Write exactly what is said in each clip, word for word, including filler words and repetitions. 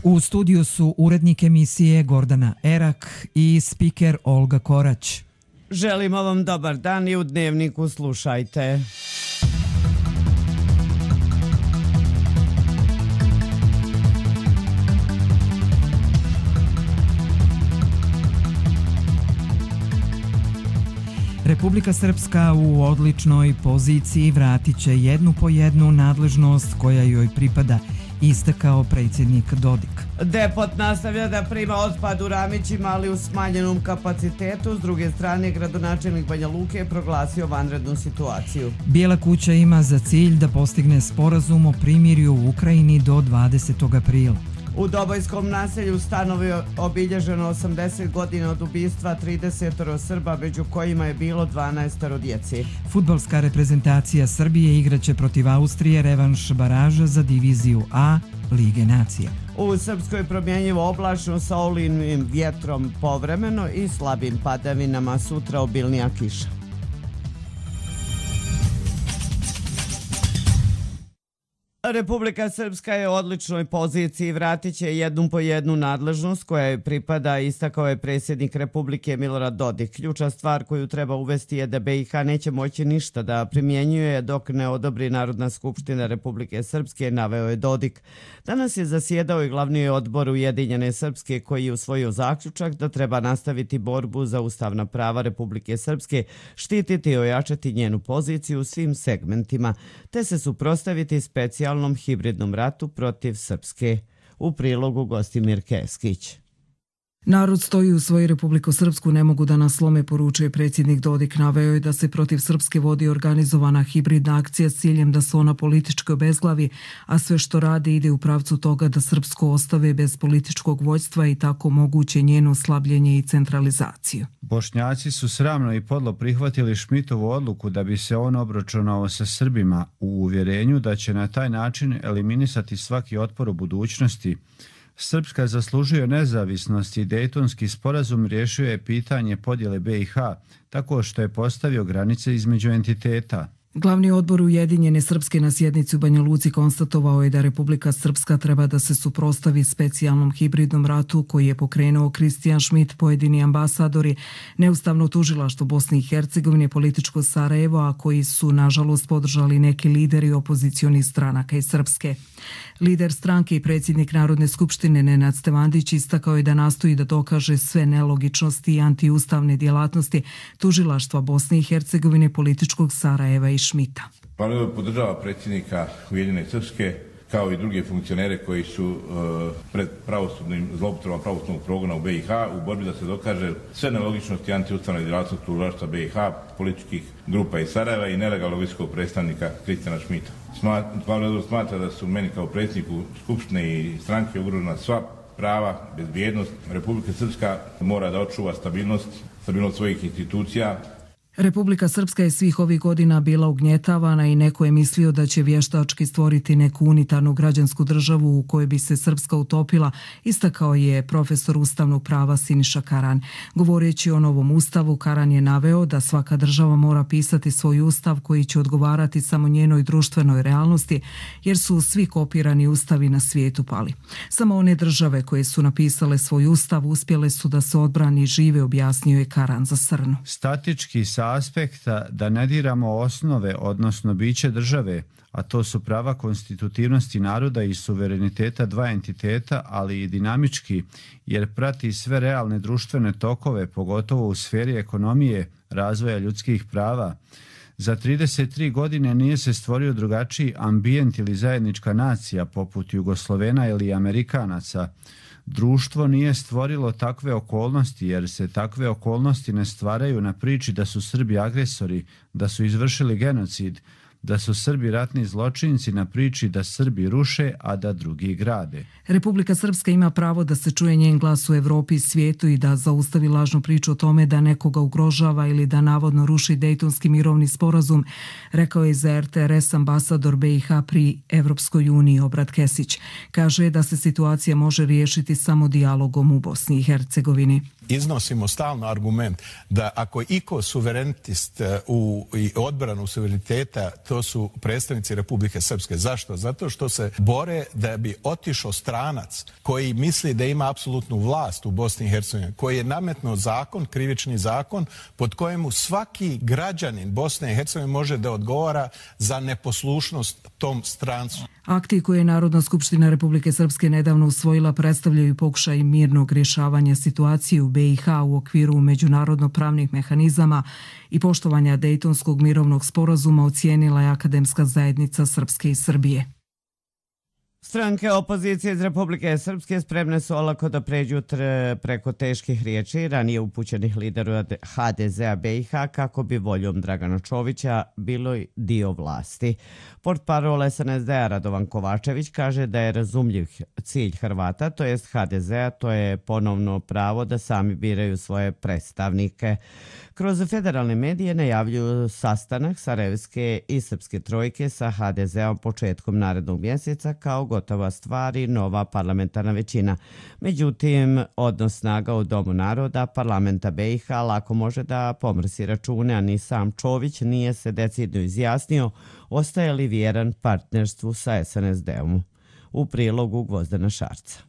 U studiju su urednik emisije Gordana Erak i spiker Olga Korać. Želimo vam dobar dan i u Dnevniku slušajte. Republika Srpska u odličnoj poziciji vratit će jednu po jednu nadležnost koja joj pripada, istakao predsjednik Dodik. Depot nastavlja da prima otpad u Ramićima, ali u smanjenom kapacitetu. S druge strane, gradonačelnik Banja Luke je proglasio vanrednu situaciju. Bijela kuća ima za cilj da postigne sporazum o primirju u Ukrajini do dvadesetog aprila. U Dobojskom naselju Stanovi obilježeno osamdeset godina od ubistva trideset Srba, među kojima je bilo dvanaest djece. Fudbalska reprezentacija Srbije igraće protiv Austrije revanš baraža za diviziju A Lige nacija. U Srpskoj promjenjivo oblačno sa olujnim vjetrom povremeno i slabim padavinama, sutra obilnija kiša. Republika Srpska je u odličnoj poziciji, vratit će jednu po jednu nadležnost koja joj pripada, istakao je predsjednik Republike Milorad Dodik. Ključna stvar koju treba uvesti je da B i H neće moći ništa da primjenjuje dok ne odobri Narodna skupština Republike Srpske, naveo je Dodik. Danas je zasjedao i glavni odbor Ujedinjene Srpske koji je usvojio zaključak da treba nastaviti borbu za ustavna prava Republike Srpske, štititi i ojačati njenu poziciju u svim segmentima, te se suprotstaviti specijalno hibridnom ratu protiv Srpske. U prilogu Gostimir Keskić. Narod stoji u svoju Republiku Srpsku, ne mogu da nas slome, poručuje predsjednik Dodik. Naveo je da se protiv Srpske vodi organizovana hibridna akcija s ciljem da se ona politički obezglavi, a sve što radi ide u pravcu toga da Srpsku ostave bez političkog vođstva i tako moguće njeno slabljenje i centralizaciju. Bošnjaci su sramno i podlo prihvatili Šmitovu odluku da bi se on obračunao sa Srbima u uvjerenju da će na taj način eliminisati svaki otpor u budućnosti. Srpska zaslužuje nezavisnost i Dejtonski sporazum riješio je pitanje podjele B i H tako što je postavio granice između entiteta. Glavni odbor Ujedinjene Srpske na sjednici u Banja Luci konstatovao je da Republika Srpska treba da se suprotstavi specijalnom hibridnom ratu koji je pokrenuo Kristijan Šmit, pojedini ambasadori, neustavno tužilaštvo Bosne i Hercegovine, političko Sarajevo, a koji su nažalost podržali neki lideri opozicionih stranaka iz Srpske. Lider stranke i predsjednik Narodne skupštine Nenad Stevandić istakao je da nastoji da dokaže sve nelogičnosti i antiustavne djelatnosti tužilaštva Bosne i Hercegovine, političkog Sarajeva i Šmita. Parlament podržava predsjednika Ujedinjene Srpske kao i druge funkcionere koji su uh, pred pravosudnim zloupotrebama pravosudnog progona u B i H u borbi da se dokaže sve nelogičnosti antiustavne djelatnosti tužilaštva B i H, političkih grupa iz Sarajeva i nelegalnog visokog predstavnika Kristijana Šmita. Parlament smatra da su meni kao predsjedniku Skupštine i stranke ugrožena sva prava, bezbjednost. Republika Srpska mora da očuva stabilnost, stabilnost svojih institucija. Republika Srpska je svih ovih godina bila ugnjetavana i neko je mislio da će vještački stvoriti neku unitarnu građansku državu u kojoj bi se Srpska utopila, istakao je profesor ustavnog prava Siniša Karan. Govoreći o novom ustavu, Karan je naveo da svaka država mora pisati svoj ustav koji će odgovarati samo njenoj društvenoj realnosti, jer su svi kopirani ustavi na svijetu pali. Samo one države koje su napisale svoj ustav uspjele su da se odbrani i žive, objasnio je Karan za Srnu. Statički sa aspekta da ne diramo osnove, odnosno biće države, a to su prava konstitutivnosti naroda i suvereniteta dva entiteta, ali i dinamički, jer prati sve realne društvene tokove, pogotovo u sferi ekonomije, razvoja ljudskih prava. Za trideset tri godine nije se stvorio drugačiji ambijent ili zajednička nacija poput Jugoslovena ili Amerikanaca. Društvo nije stvorilo takve okolnosti jer se takve okolnosti ne stvaraju na priči da su Srbi agresori, da su izvršili genocid, da su Srbi ratni zločinci na priči da Srbi ruše, a da drugi grade. Republika Srpska ima pravo da se čuje njen glas u Evropi i svijetu i da zaustavi lažnu priču o tome da nekoga ugrožava ili da navodno ruši Dejtonski mirovni sporazum, rekao je za R T R S ambasador B i H pri Evropskoj uniji Obrad Kesić. Kaže da se situacija može riješiti samo dijalogom u Bosni i Hercegovini. Iznosimo stalno argument da ako iko suverenitist u odbranu suvereniteta, to to su predstavnici Republike Srpske. Zašto? Zato što se bore da bi otišao stranac koji misli da ima apsolutnu vlast u Bosni i Hercegovini, koji je nametnuo zakon, krivični zakon, pod kojemu svaki građanin Bosne i Hercegovine može da odgovara za neposlušnost tom strancu. Akti koje je Narodna skupština Republike Srpske nedavno usvojila predstavljaju pokušaj mirnog rješavanja situacije u be i ha u okviru međunarodno-pravnih mehanizama i poštovanja Dejtonskog mirovnog sporazuma, ocijenila je Akademska zajednica Srpske i Srbije. Stranke opozicije iz Republike Srpske spremne su olako da pređu preko teških riječi ranije upućenih lidera ha de zea be i ha kako bi voljom Dragana Čovića bilo dio vlasti. Portparol es en es de-a Radovan Kovačević kaže da je razumljiv cilj Hrvata, to jest ha de zea, to je ponovno pravo da sami biraju svoje predstavnike. Kroz federalne medije najavljuju sastanak Sarajevske i Srpske trojke sa ha de zeom početkom narednog mjeseca kao gotova stvar i nova parlamentarna većina. Međutim, odnos snaga u Domu naroda parlamenta be i ha lako može da pomrsi račune, a ni sam Čović nije se decidno izjasnio ostaje li vjeran partnerstvu sa es en es de-om. U prilogu Gvozdana Šarca.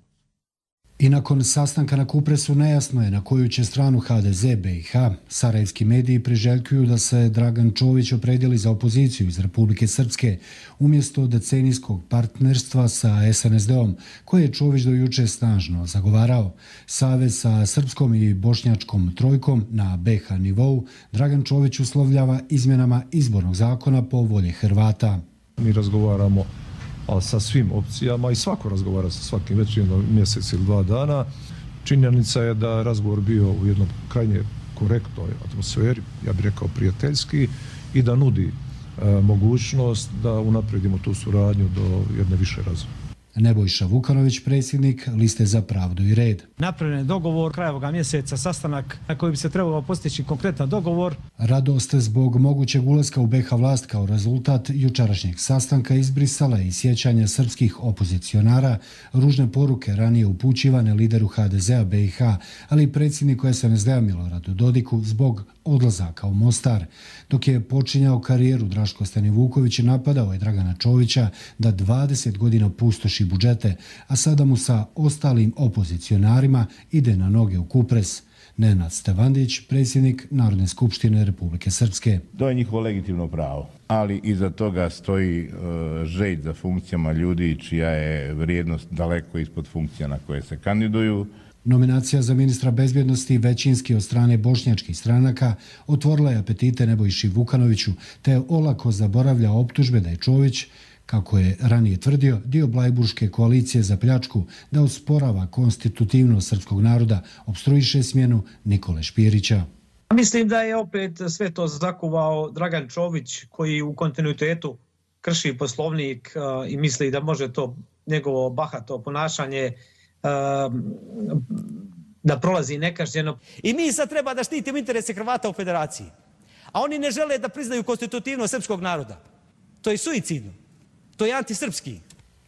I nakon sastanka na Kupresu nejasno je na koju će stranu ha de ze be i ha. Sarajevski mediji priželjkuju da se Dragan Čović opredijeli za opoziciju iz Republike Srpske umjesto decenijskog partnerstva sa es en es de-om, koje je Čović do juče snažno zagovarao. Savez sa srpskom i bošnjačkom trojkom na be ha nivou Dragan Čović uslovljava izmjenama izbornog zakona po volje Hrvata. Mi razgovaramo ali sa svim opcijama i svako razgovara sa svakim već jedno mjesec ili dva dana. Činjenica je da razgovor bio u jednom krajnje korektnoj atmosferi, ja bih rekao prijateljski, i da nudi e, mogućnost da unaprijedimo tu suradnju do jedne više razine. Nebojša Vukanović, predsjednik Liste za pravdu i red. Napravljen je dogovor kraja ovoga mjeseca, sastanak na koji bi se trebalo postići konkretan dogovor. Radost zbog mogućeg ulaska u be ha vlast kao rezultat jučerašnjeg sastanka izbrisala i sjećanja srpskih opozicionara, ružne poruke ranije upućivane lideru ha de zea be i ha, ali i predsjedniku es en es de-a Miloradu Dodiku zbog odlazaka u Mostar. Dok je počinjao karijeru, Draško Stanivuković napadao je Dragana Čovića da dvadeset godina pustoši budžete, a sada mu sa ostalim opozicionarima ide na noge u Kupres. Nenad Stevandić, predsjednik Narodne skupštine Republike Srpske. To je njihovo legitimno pravo, ali iza toga stoji e, želj za funkcijama ljudi čija je vrijednost daleko ispod funkcija na koje se kandiduju. Nominacija za ministra bezbjednosti većinski od strane bošnjačkih stranaka otvorila je apetite Nebojši Vukanoviću, te olako zaboravlja optužbe da je Čović, kako je ranije tvrdio, dio Blajburške koalicije za pljačku, da usporava konstitutivnost srpskog naroda, opstruiše smjenu Nikole Špirića. Mislim da je opet sve to zakuvao Dragan Čović, koji u kontinuitetu krši poslovnik uh, i misli da može to njegovo bahato ponašanje uh, da prolazi nekažnjeno. I mi sad treba da štitimo interese Hrvata u federaciji, a oni ne žele da priznaju konstitutivnost srpskog naroda. To je suicidno. To je antisrpski.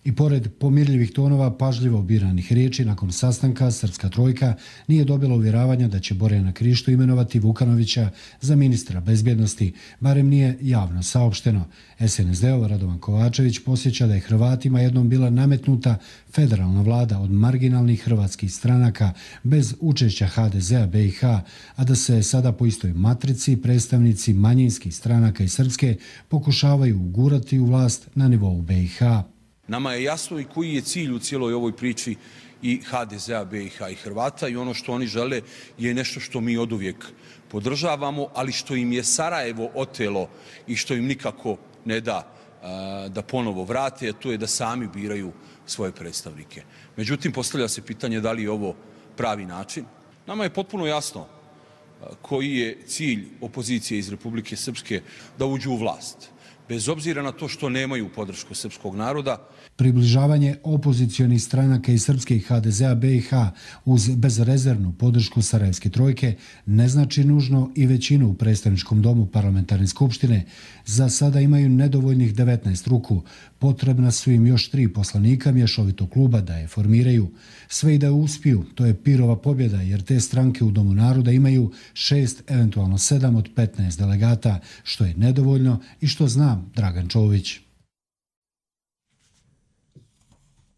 I pored pomirljivih tonova pažljivo biranih riječi, nakon sastanka Srpska trojka nije dobila uvjeravanja da će Borjana Krišto imenovati Vukanovića za ministra bezbjednosti, barem nije javno saopšteno. es en es de-ov Radovan Kovačević posjeća da je Hrvatima jednom bila nametnuta federalna vlada od marginalnih hrvatskih stranaka bez učešća ha de zea be i ha, a da se sada po istoj matrici predstavnici manjinskih stranaka i Srpske pokušavaju ugurati u vlast na nivou be i ha. Nama je jasno i koji je cilj u cijeloj ovoj priči i ha de zea, be i ha i Hrvata, i ono što oni žele je nešto što mi oduvijek podržavamo, ali što im je Sarajevo otelo i što im nikako ne da a, da ponovo vrate, a to je da sami biraju svoje predstavnike. Međutim, postavlja se pitanje da li je ovo pravi način. Nama je potpuno jasno a, koji je cilj opozicije iz Republike Srpske da uđu u vlast, bez obzira na to što nemaju podršku srpskog naroda. Približavanje opozicionih stranaka iz Srpske i ha de zea be i ha uz bezrezervnu podršku Sarajevske trojke ne znači nužno i većinu u predstavničkom domu parlamentarne skupštine. Za sada imaju nedovoljnih devetnaest ruku. Potrebna su im još tri poslanika mješovitog kluba da je formiraju. Sve i da uspiju, to je pirova pobjeda, jer te stranke u Domu naroda imaju šest, eventualno sedam od petnaest delegata, što je nedovoljno i što zna ima Dragan Čović.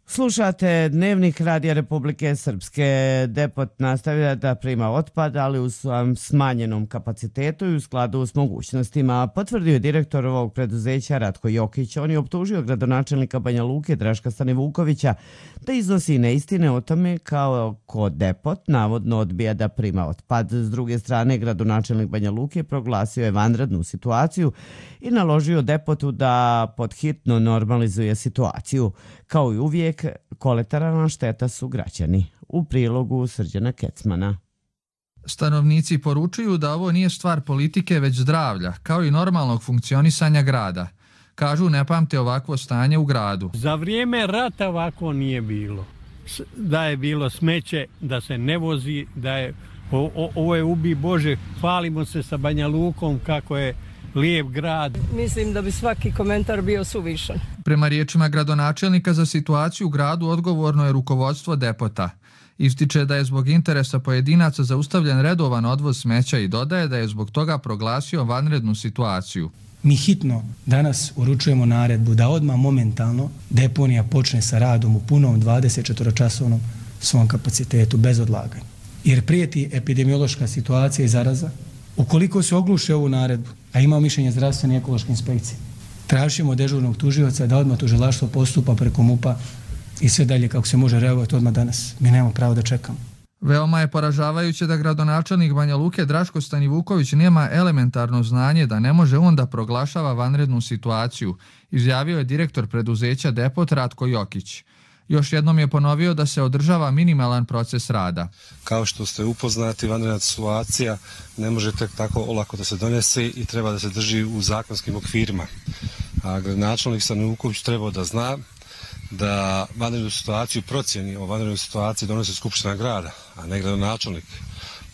Slušate Dnevnik Radija Republike Srpske. Depot nastavlja da prima otpad, ali u smanjenom kapacitetu i u skladu s mogućnostima, potvrdio je direktor ovog preduzeća Ratko Jokić. On je optužio gradonačelnika Banja Luke Draška Stanivukovića da iznosi neistine o tome kao ko Depot navodno odbija da prima otpad. S druge strane, gradonačelnik Banja Luke proglasio je vanrednu situaciju i naložio Depotu da podhitno normalizuje situaciju. Kao i uvijek, kolateralna šteta su građani. U prilogu Srđana Kecmana. Stanovnici poručuju da ovo nije stvar politike već zdravlja, kao i normalnog funkcionisanja grada. Kažu ne pamte ovakvo stanje u gradu. Za vrijeme rata ovako nije bilo. Da je bilo smeće, da se ne vozi, da je o, o, ovo je ubi Bože, hvalimo se sa Banja Lukom kako je lijep grad. Mislim da bi svaki komentar bio suvišan. Prema riječima gradonačelnika za situaciju u gradu odgovorno je rukovodstvo Depota. Ističe da je zbog interesa pojedinaca zaustavljen redovan odvoz smeća i dodaje da je zbog toga proglasio vanrednu situaciju. Mi hitno danas uručujemo naredbu da odmah momentalno deponija počne sa radom u punom dvadeset četiri časovnom svom kapacitetu bez odlaganja. Jer prijeti epidemiološka situacija i zaraza. Ukoliko se ogluše ovu naredbu, a ima mišljenje zdravstvene i ekološke inspekcije, tražimo dežurnog tužioca da odmah tužilaštvo postupa preko MUP-a i sve dalje kako se može reagovati odmah danas. Mi nemamo pravo da čekamo. Veoma je poražavajuće da gradonačelnik Banja Luke Draško Stanivuković nema elementarno znanje da ne može on da proglašava vanrednu situaciju, izjavio je direktor preduzeća Depot Ratko Jokić. Još jednom je ponovio da se održava minimalan proces rada. Kao što ste upoznati, vanredna situacija ne može tek tako olako da se donese i treba da se drži u zakonskim okvirima. A gradonačelnik Stanivuković treba da zna da vanrednu situaciju procjeni o vanrednoj situaciji donosi Skupština grada, a ne gradonačelnik.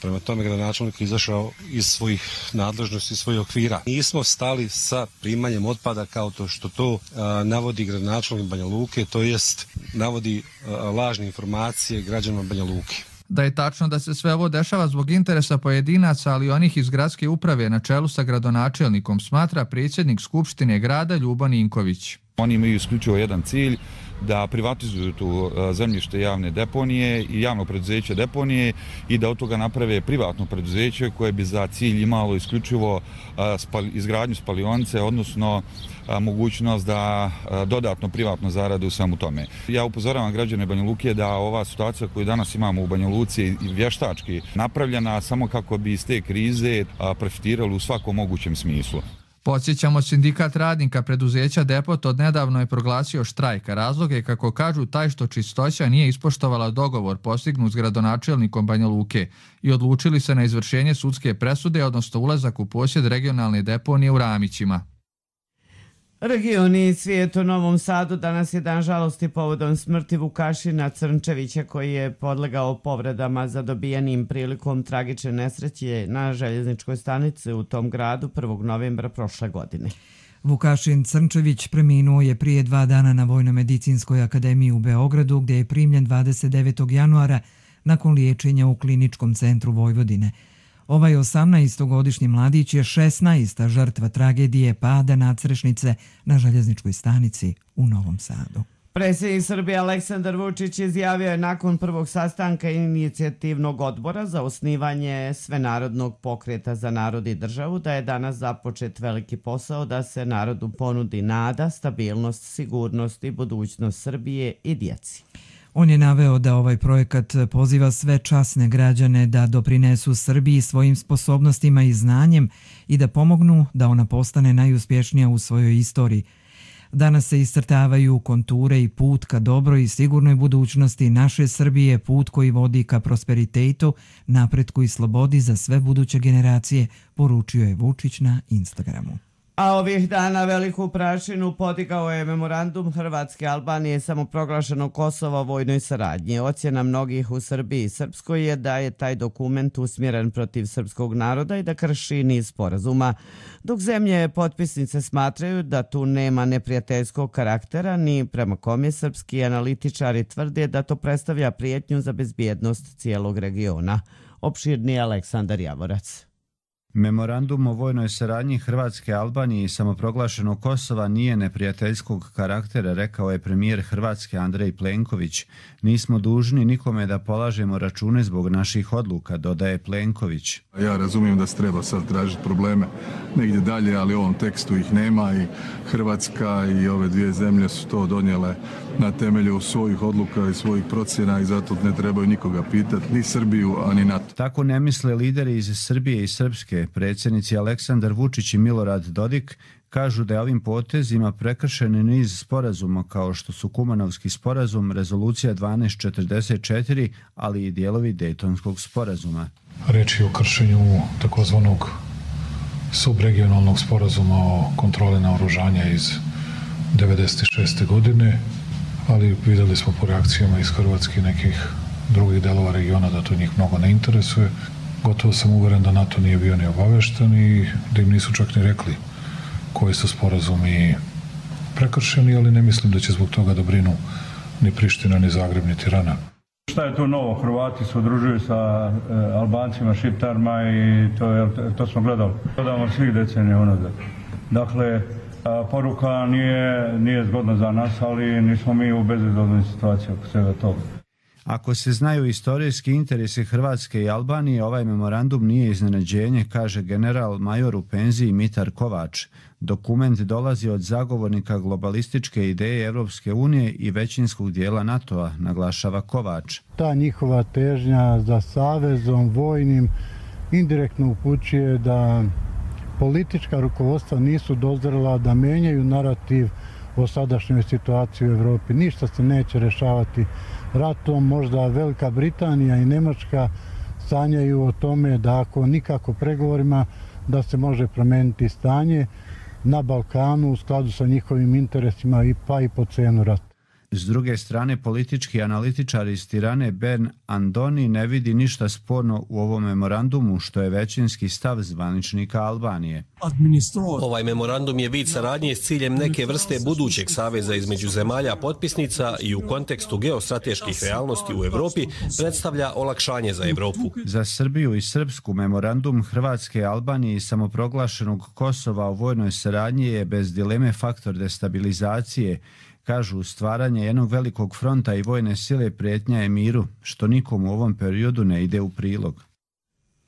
Prema tome, gradonačelnik je izašao iz svojih nadležnosti, iz svojih okvira. Nismo stali sa primanjem otpada kao to što to a, navodi gradonačelnik Banja Luke, to jest navodi a, lažne informacije građanima Banja Luke. Da je tačno da se sve ovo dešava zbog interesa pojedinaca, ali onih iz gradske uprave na čelu sa gradonačelnikom, smatra predsjednik Skupštine grada Ljubo Ninković. Oni imaju isključivo jedan cilj, da privatizuju tu zemljište javne deponije i javno preduzeće deponije i da od toga naprave privatno preduzeće koje bi za cilj imalo isključivo izgradnju spalionice, odnosno mogućnost da dodatno privatno zarade u svemu tome. Ja upozoravam građane Banja Luke da ova situacija koju danas imamo u Banja Luci je vještački napravljena samo kako bi iz te krize profitirali u svakom mogućem smislu. Podsjećamo, sindikat radnika preduzeća Depot od nedavno je proglasio štrajk. Razlog je, kako kažu, taj što Čistoća nije ispoštovala dogovor postignut s gradonačelnikom Banja Luke i odlučili se na izvršenje sudske presude, odnosno ulazak u posjed regionalne deponije u Ramićima. Regioni i svijet u Novom Sadu danas je dan žalosti povodom smrti Vukašina Crnčevića koji je podlegao povredama zadobijenim prilikom tragične nesreće na željezničkoj stanici u tom gradu prvog novembra prošle godine. Vukašin Crnčević preminuo je prije dva dana na Vojno-medicinskoj akademiji u Beogradu, gdje je primljen dvadeset devetog januara nakon liječenja u Kliničkom centru Vojvodine. Ovaj osamnaestogodišnji mladić je šesnaesta žrtva tragedije pada nadstrešnice na željezničkoj stanici u Novom Sadu. Predsjednik Srbije Aleksandar Vučić izjavio je nakon prvog sastanka inicijativnog odbora za osnivanje Svenarodnog pokreta za narod i državu da je danas započet veliki posao da se narodu ponudi nada, stabilnost, sigurnost i budućnost Srbije i djeci. On je naveo da ovaj projekat poziva sve časne građane da doprinesu Srbiji svojim sposobnostima i znanjem i da pomognu da ona postane najuspješnija u svojoj istoriji. Danas se iscrtavaju konture i put ka dobroj i sigurnoj budućnosti naše Srbije, put koji vodi ka prosperitetu, napretku i slobodi za sve buduće generacije, poručio je Vučić na Instagramu. A ovih dana veliku prašinu podigao je memorandum Hrvatske i Albanije samoproglašenog Kosova o vojnoj saradnji. Ocjena mnogih u Srbiji i Srpskoj je da je taj dokument usmjeren protiv srpskog naroda i da krši niz sporazuma, dok zemlje potpisnice smatraju da tu nema neprijateljskog karaktera, ni prema kome srpski analitičari tvrde da to predstavlja prijetnju za bezbjednost cijelog regiona. Opširni Aleksandar Javorac. Memorandum o vojnoj saradnji Hrvatske, Albanije i samoproglašenog Kosova nije neprijateljskog karaktera, rekao je premijer Hrvatske Andrej Plenković. Nismo dužni nikome da polažemo račune zbog naših odluka, dodaje Plenković. Ja razumijem da se treba sad tražiti probleme negdje dalje, ali u ovom tekstu ih nema i Hrvatska i ove dvije zemlje su to donijele na temelju svojih odluka i svojih procjena i zato ne trebaju nikoga pitati, ni Srbiju, a ni NATO. Tako ne misle lideri iz Srbije i Srpske. Predsjednici Aleksandar Vučić i Milorad Dodik kažu da je ovim potezima prekršen niz sporazuma kao što su Kumanovski sporazum, Rezolucija dvanaest četrdeset četiri, ali i dijelovi Dejtonskog sporazuma. Reč je o kršenju takozvanog subregionalnog sporazuma o kontroli naoružanja iz devedeset šeste. godine, ali vidjeli smo po reakcijama iz Hrvatske i nekih drugih delova regiona da to njih mnogo ne interesuje. Gotovo sam uveren da NATO nije bio ni obavešten i da im nisu čak ni rekli koji su sporazumi prekršeni, ali ne mislim da će zbog toga da brinu ni Priština, ni Zagreb, ni Tirana. Šta je to novo? Hrvati se udružuju sa e, Albancima, Šiptarima i to, je, to smo gledali. Gledamo svih decenija unazad. Dakle, a, poruka nije, nije zgodna za nas, ali nismo mi u bezizlaznoj situaciji oko svega toga. Ako se znaju istorijski interesi Hrvatske i Albanije, ovaj memorandum nije iznenađenje, kaže general major u penziji Mitar Kovač. Dokument dolazi od zagovornika globalističke ideje Evropske unije i većinskog dijela NATO-a, naglašava Kovač. Ta njihova težnja za savezom vojnim indirektno upućuje da politička rukovodstva nisu dozrela da menjaju narativ o sadašnjoj situaciji u Evropi. Ništa se neće rešavati ratom, možda Velika Britanija i Nemačka sanjaju o tome da ako nikako pregovorima da se može promijeniti stanje na Balkanu u skladu sa njihovim interesima i pa i po cenu rata. S druge strane, politički analitičar iz Tirane Ben Andoni ne vidi ništa sporno u ovom memorandumu, što je većinski stav zvaničnika Albanije. Ovaj memorandum je vid saradnje s ciljem neke vrste budućeg saveza između zemalja potpisnica i u kontekstu geostrateških realnosti u Evropi predstavlja olakšanje za Evropu. Za Srbiju i Srpsku memorandum Hrvatske, Albanije i samoproglašenog Kosova o vojnoj saradnji je bez dileme faktor destabilizacije. Kažu, stvaranje jednog velikog fronta i vojne sile prijetnja je miru, što nikom u ovom periodu ne ide u prilog.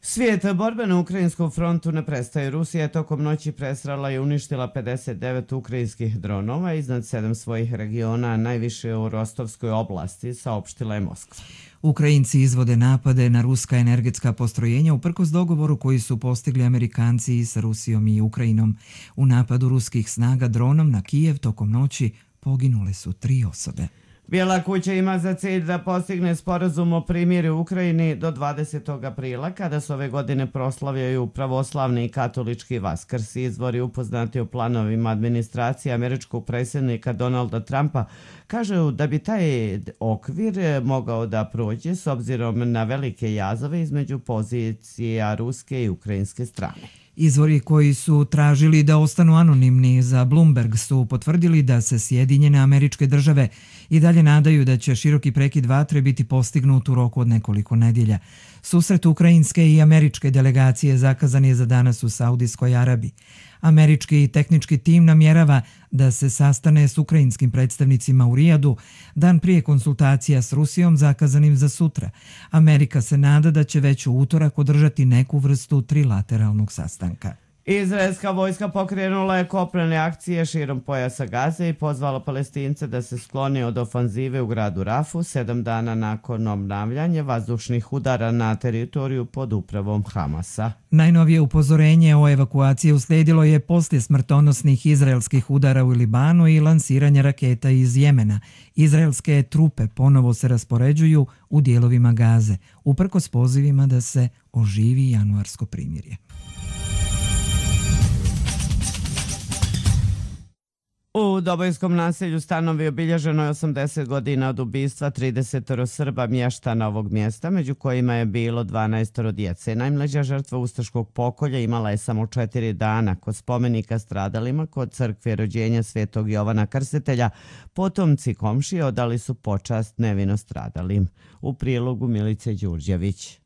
Svijet borbe na ukrajinskom frontu ne prestaje. Rusija je tokom noći presrala i uništila pedeset devet ukrajinskih dronova iznad sedam svojih regiona, najviše u Rostovskoj oblasti, saopštila je Moskva. Ukrajinci izvode napade na ruska energetska postrojenja uprkos dogovoru koji su postigli Amerikanci sa Rusijom i Ukrajinom. U napadu ruskih snaga dronom na Kijev tokom noći poginule su tri osobe. Bijela kuća ima za cilj da postigne sporazum o primirju u Ukrajini do dvadesetog aprila, kada se ove godine proslavljaju pravoslavni i katolički Vaskrs. Izvori upoznati o planovima administracije američkog predsjednika Donalda Trumpa kažu da bi taj okvir mogao da prođe s obzirom na velike jazove između pozicija ruske i ukrajinske strane. Izvori koji su tražili da ostanu anonimni za Bloomberg su potvrdili da se Sjedinjene Američke Države i dalje nadaju da će široki prekid vatre biti postignut u roku od nekoliko nedjelja. Susret ukrajinske i američke delegacije zakazan je za danas u Saudijskoj Arabiji. Američki tehnički tim namjerava da se sastane s ukrajinskim predstavnicima u Rijadu dan prije konsultacija s Rusijom zakazanim za sutra. Amerika se nada da će već u utorak održati neku vrstu trilateralnog sastanka. Izraelska vojska pokrenula je kopnene akcije širom pojasa Gaze i pozvala Palestince da se sklone od ofanzive u gradu Rafu sedam dana nakon obnavljanja vazdušnih udara na teritoriju pod upravom Hamasa. Najnovije upozorenje o evakuaciji uslijedilo je poslije smrtonosnih izraelskih udara u Libanu i lansiranja raketa iz Jemena. Izraelske trupe ponovo se raspoređuju u dijelovima Gaze, uprkos pozivima da se oživi januarsko primirje. U Dobojskom naselju Stanovi obilježeno je osamdeset godina od ubistva trideset Srba mještana ovog mjesta, među kojima je bilo dvanaest djece. Najmlađa žrtva ustaškog pokolja imala je samo četiri dana. Kod spomenika stradalima kod crkve rođenja Svetog Jovana Krstitelja potomci komšije odali su počast nevino stradalim. U prilogu Milice Đurđević.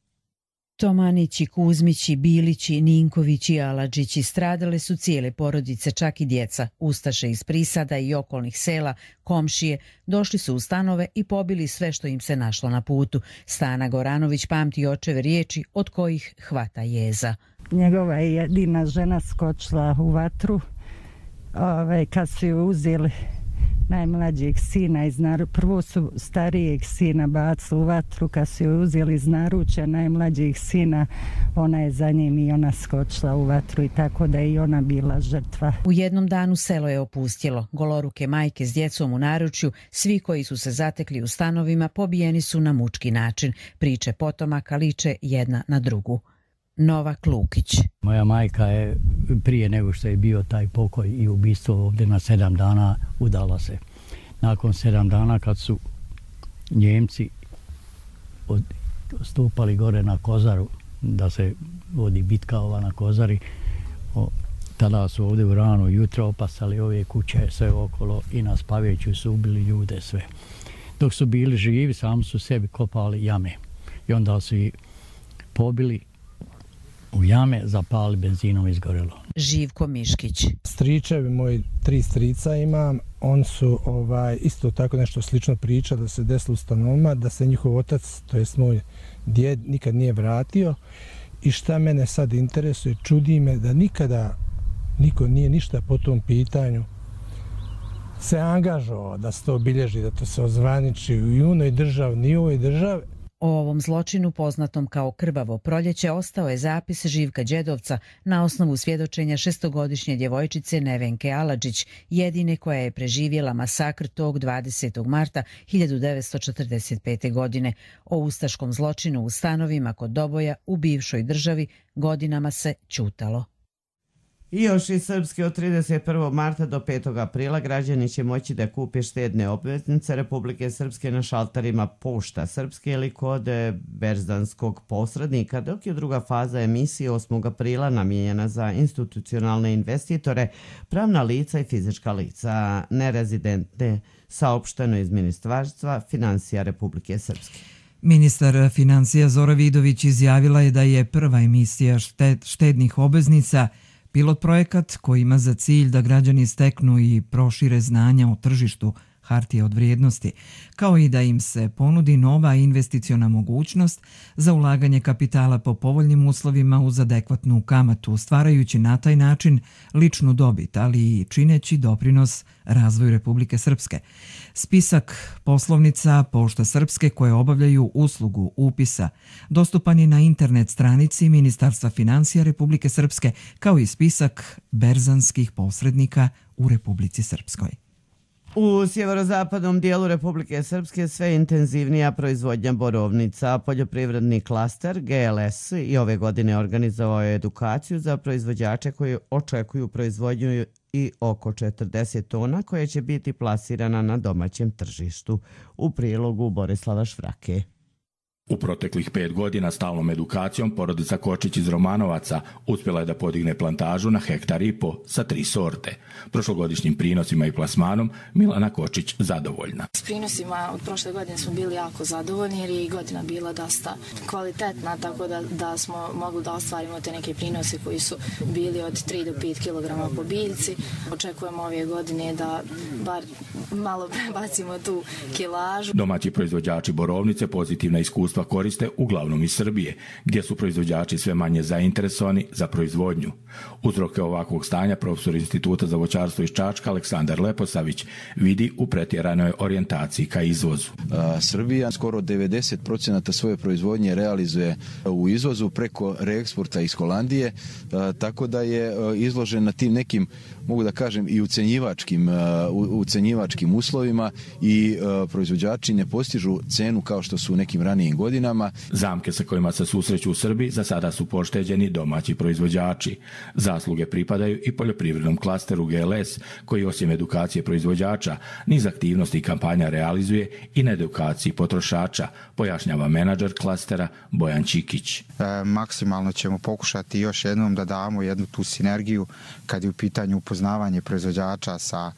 Tomanići, Kuzmići, Bilići, Ninkovići i Aladžići stradale su cijele porodice, čak i djeca. Ustaše iz Prisada i okolnih sela, komšije, došli su u stanove i pobili sve što im se našlo na putu. Stana Goranović pamti očeve riječi od kojih hvata jeza. Njegova je jedina žena skočila u vatru. Ove, kad su ju uzeli najmlađeg sina iz naručja, prvo su starijeg sina bacili u vatru, kad su ju uzeli iz naručja najmlađeg sina, ona je za njim i ona skočila u vatru i tako da je i ona bila žrtva. U jednom danu selo je opustjelo. Goloruke majke s djecom u naručju, svi koji su se zatekli u stanovima pobijeni su na mučki način. Priče potomaka liče jedna na drugu. Nova Klukić. Moja majka je prije nego što je bio taj pokoj i ubistvo ovdje na sedam dana udala se. Nakon sedam dana kad su Njemci stupali gore na Kozaru, da se vodi bitka ova na Kozari, o, tada su ovdje u rano jutro opasali ove kuće sve okolo i na Spaveću su ubili ljude sve. Dok su bili živi, sami su sebi kopali jame i onda su ih pobili u jame, zapali, benzinom izgorelo. Živko Miškić. Stričevi, moji tri strica imam, on su ovaj, isto tako nešto slično priča da se desilo u stanovima, da se njihov otac, to jest moj djed, nikad nije vratio. I šta mene sad interesuje, čudi me da nikada niko nije ništa po tom pitanju se angažovao da se to obilježi, da to se ozvaniči i u onoj državi, ni u ovoj državi. O ovom zločinu, poznatom kao Krvavo proljeće, ostao je zapis Živka Đedovca na osnovu svjedočenja šestogodišnje djevojčice Nevenke Aladžić, jedine koja je preživjela masakr tog dvadesetog marta hiljadu devetsto četrdeset pete. godine. O ustaškom zločinu u stanovima kod Doboja u bivšoj državi godinama se ćutalo. I još i srpski od trideset prvog marta do petog aprila građani će moći da kupe štedne obveznice Republike Srpske na šalterima Pošta Srpske ili kod berzanskog posrednika, dok je druga faza emisije osmog aprila namijenjena za institucionalne investitore, pravna lica i fizička lica nerezidentne, saopšteno iz Ministarstva financija Republike Srpske. Ministar financija Zora Vidović izjavila je da je prva emisija štednih obveznica pilot projekat koji ima za cilj da građani steknu i prošire znanja o tržištu hartije od vrijednosti, kao i da im se ponudi nova investiciona mogućnost za ulaganje kapitala po povoljnim uslovima uz adekvatnu kamatu, stvarajući na taj način ličnu dobit, ali i čineći doprinos razvoju Republike Srpske. Spisak poslovnica Pošta Srpske koje obavljaju uslugu upisa dostupan je na internet stranici Ministarstva financija Republike Srpske, kao i spisak berzanskih posrednika u Republici Srpskoj. U sjeverozapadnom dijelu Republike Srpske sve intenzivnija proizvodnja borovnica. Poljoprivredni klaster G L S i ove godine organizovao je edukaciju za proizvođače koji očekuju proizvodnju i oko četrdeset tona koje će biti plasirana na domaćem tržištu. U prilogu Borislava Švrake. U proteklih pet godina stalnom edukacijom porodica Kočić iz Romanovaca uspjela je da podigne plantažu na hektar i po sa tri sorte. Prošlogodišnjim prinosima i plasmanom Milana Kočić zadovoljna. S prinosima od prošle godine smo bili jako zadovoljni jer je i godina bila dosta kvalitetna, tako da, da smo mogli da ostvarimo te neke prinose koji su bili od tri do pet kilograma po biljci. Očekujemo ove godine da bar malo prebacimo tu kilažu. Domaći proizvođači borovnice pozitivna iskustva koriste uglavnom iz Srbije, gdje su proizvođači sve manje zainteresovani za proizvodnju. Uzroke ovakvog stanja profesor Instituta za voćarstvo iz Čačka Aleksandar Leposavić vidi u pretjeranoj orijentaciji ka izvozu. A, Srbija skoro devedeset procenata svoje proizvodnje realizuje u izvozu preko reeksporta iz Holandije, a, tako da je a, izložen na tim nekim, mogu da kažem, i ucenjivačkim, a, ucenjivačkim uslovima i a, proizvođači ne postižu cenu kao što su u nekim ranijim godinama. Zamke sa kojima se susreću u Srbiji za sada su pošteđeni domaći proizvođači. Zasluge pripadaju i poljoprivrednom klasteru G L S, koji osim edukacije proizvođača, niz aktivnosti i kampanja realizuje i na edukaciji potrošača, pojašnjava menadžer klastera Bojan Čikić. E, maksimalno ćemo pokušati još jednom da damo jednu tu sinergiju kad je u pitanju upoznavanje proizvođača sa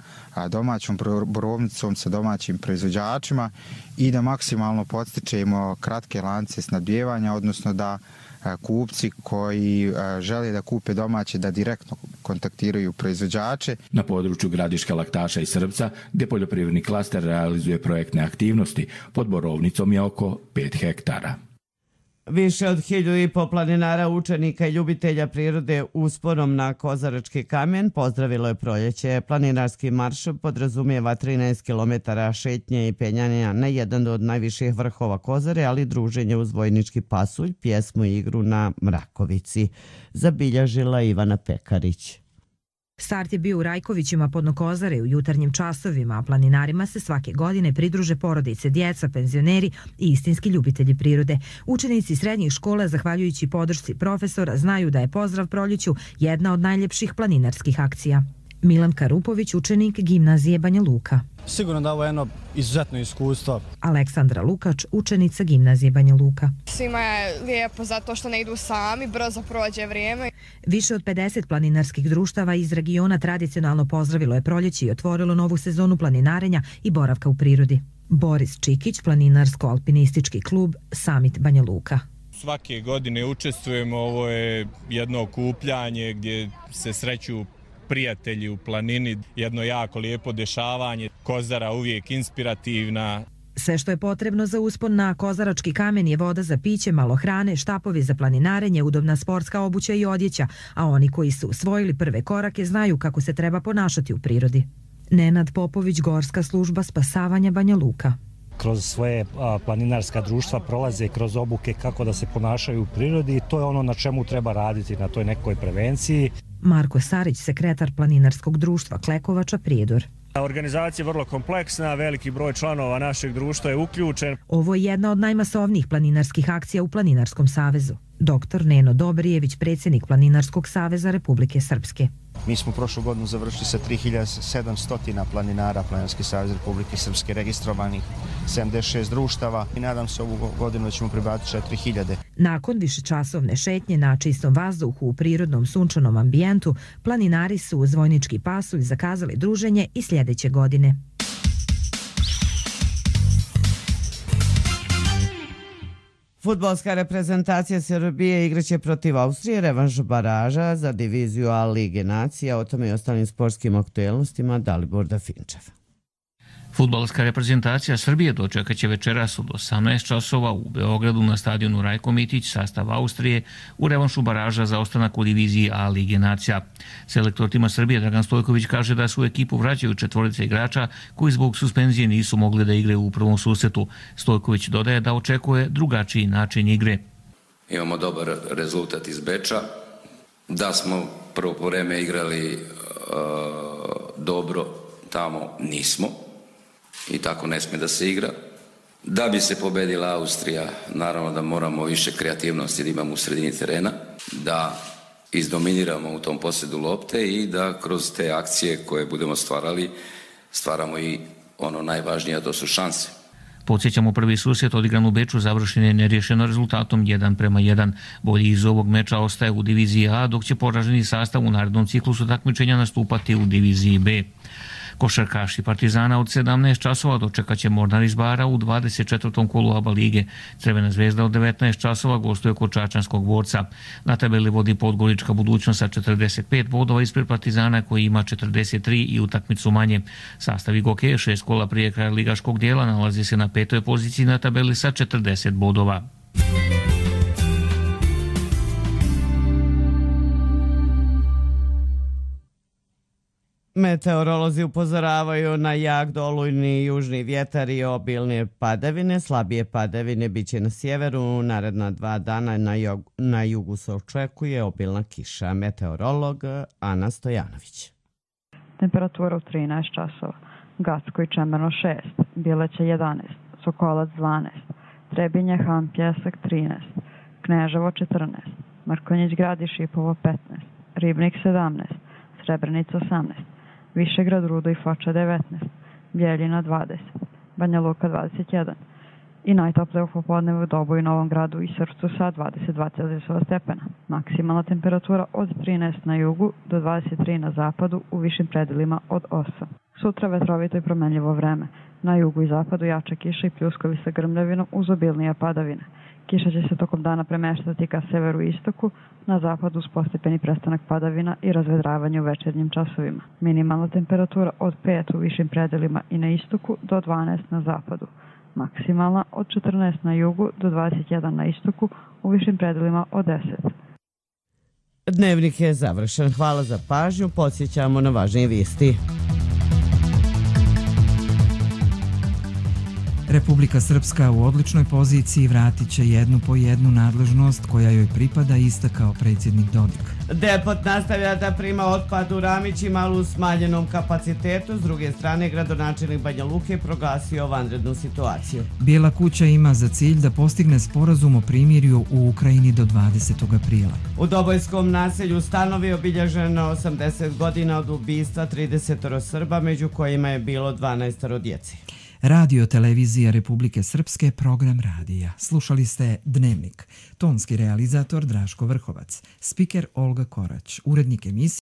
domaćom borovnicom, sa domaćim proizvođačima i da maksimalno podstičemo kratke lance snabdijevanja, odnosno da kupci koji žele da kupe domaće da direktno kontaktiraju proizvođače. Na području Gradiška, Laktaša i Srbca, gdje poljoprivredni klaster realizuje projektne aktivnosti, pod borovnicom je oko pet hektara. Više od hiljadu i po planinara, učenika i ljubitelja prirode usporom na Kozarački kamen pozdravilo je proljeće. Planinarski marš podrazumijeva trinaest kilometara šetnje i penjanja na jedan od najviših vrhova Kozare, ali druženje uz vojnički pasulj, pjesmu i igru na Mrakovici. Zabilježila Ivana Pekarić. Start je bio u Rajkovićima pod Kozare u jutarnjim časovima, a planinarima se svake godine pridruže porodice, djeca, penzioneri i istinski ljubitelji prirode. Učenici srednjih škola, zahvaljujući podršci profesora, znaju da je pozdrav proljeću jedna od najljepših planinarskih akcija. Milan Karupović, učenik gimnazije Banja Luka. Sigurno da ovo je jedno izuzetno iskustvo. Aleksandra Lukač, učenica gimnazije Banja Luka. Svima je lijepo zato što ne idu sami, brzo prođe vrijeme. Više od pedeset planinarskih društava iz regiona tradicionalno pozdravilo je proljeće i otvorilo novu sezonu planinarenja i boravka u prirodi. Boris Čikić, planinarsko-alpinistički klub Summit Banja Luka. Svake godine učestvujemo, ovo je jedno okupljanje gdje se sreću prijatelji u planini, jedno jako lijepo dešavanje, Kozara uvijek inspirativna. Sve što je potrebno za uspon na Kozarački kamen je voda za piće, malo hrane, štapovi za planinarenje, udobna sportska obuća i odjeća, a oni koji su usvojili prve korake znaju kako se treba ponašati u prirodi. Nenad Popović, Gorska služba spasavanja Banja Luka. Kroz svoje planinarska društva prolaze kroz obuke kako da se ponašaju u prirodi i to je ono na čemu treba raditi, na toj nekoj prevenciji. Marko Sarić, sekretar planinarskog društva Klekovača Prijedor. Organizacija je vrlo kompleksna, veliki broj članova našeg društva je uključen. Ovo je jedna od najmasovnijih planinarskih akcija u Planinarskom savezu. Doktor Neno Dobrijević, predsjednik Planinarskog saveza Republike Srpske. Mi smo prošlu godinu završili sa tri hiljade sedamsto planinara, Planinarski savez Republike Srpske, registrovanih sedamdeset šest društava i nadam se ovu godinu da ćemo pribaviti četiri hiljade. Nakon višečasovne šetnje na čistom vazduhu u prirodnom sunčanom ambijentu, planinari su uz vojnički pasulj zakazali druženje i sljedeće godine. Fudbalska reprezentacija Srbije igraće protiv Austrije revanš baraža za diviziju A Lige nacija. O tome i ostalim sportskim aktuelnostima Dalibor Dafinčev. Fudbalska reprezentacija Srbije dočekaće večeras od osamnaest časova u Beogradu na stadionu Rajko Mitić sastav Austrije u revanšu baraža za ostanak u diviziji A Lige nacija. Selektor tima Srbije Dragan Stojković kaže da su u ekipu vraćaju četvorice igrača koji zbog suspenzije nisu mogli da igraju u prvom susretu. Stojković dodaje da očekuje drugačiji način igre. Imamo dobar rezultat iz Beča, da smo prvo po vreme igrali uh, dobro, tamo nismo. I tako ne smije da se igra. Da bi se pobedila Austrija, naravno da moramo više kreativnosti da imamo u sredini terena, da izdominiramo u tom posjedu lopte i da kroz te akcije koje budemo stvarali, stvaramo i ono najvažnije, a to su šanse. Podsjećamo, prvi susret odigran u Beču završen je nerješeno rezultatom jedan prema jedan. Bolji iz ovog meča ostaje u diviziji A, dok će poraženi sastav u narednom ciklusu takmičenja nastupati u diviziji B. Košarkaši Partizana od sedamnaest časova dočekaće Mornar iz Bara u dvadeset četvrtom kolu A B A lige. Crvena zvezda od devetnaest časova gostuje kod Čačanskog Borca. Na tabeli vodi Podgorička Budućnost sa četrdeset pet bodova ispred Partizana koji ima četrdeset tri i utakmicu manje. Sastav Igoke šest kola prije kraja ligaškog dijela nalazi se na petoj poziciji na tabeli sa četrdeset bodova. Meteorolozi upozoravaju na jak dolujni južni vjetar i obilne padavine. Slabije padavine biće na sjeveru. Naredna dva dana na, jog, na jugu se očekuje obilna kiša. Meteorolog Ana Stojanović. Temperatura u trinaest časova. Gacko i Čemerno šest, Bileće jedanaest, Sokolac dvanaest, Trebinje, Han, Pjesak trinaest, Kneževo četrnaest, Mrkonjić Grad i Šipovo petnaest, Ribnik sedamnaest, Srebrenica osamnaest, Višegrad, Rudo i Foča devetnaest, Bjeljina dvadeset, Banja Luka dvadeset jedan i najtoplije u popodnevu u Dobu i Novom Gradu i Srpcu sa dvadeset dva Celzijusova stepena. Maksimalna temperatura od trinaest na jugu do dvadeset tri na zapadu, u višim predelima od osam. Sutra vetrovito i promenljivo vreme. Na jugu i zapadu jača kiša i pljuskovi sa grmljavinom uz obilnije padavine. Kiša će se tokom dana premeštati ka severu i istoku, na zapadu uz postepeni prestanak padavina i razvedravanje u večernjim časovima. Minimalna temperatura od pet u višim predelima i na istoku do dvanaest na zapadu. Maksimalna od četrnaest na jugu do dvadeset jedan na istoku, u višim predelima od deset. Dnevnik je završen. Hvala za pažnju. Podsjećamo na važnije vijesti. Republika Srpska u odličnoj poziciji vratit će jednu po jednu nadležnost koja joj pripada, istakao predsjednik Dodik. Depot nastavlja da prima otpad u Ramićima, ali u smanjenom kapacitetu. S druge strane, gradonačelnik Banja Luke proglasio vanrednu situaciju. Bijela kuća ima za cilj da postigne sporazum o primirju u Ukrajini do dvadesetog aprila. U Dobojskom naselju Stanovi obilježeno osamdeset godina od ubistva trideset Srba, među kojima je bilo dvanaest djece. Radio Televizija Republike Srpske, program radija. Slušali ste Dnevnik. Tonski realizator Draško Vrhovac, spiker Olga Korać, urednik emisije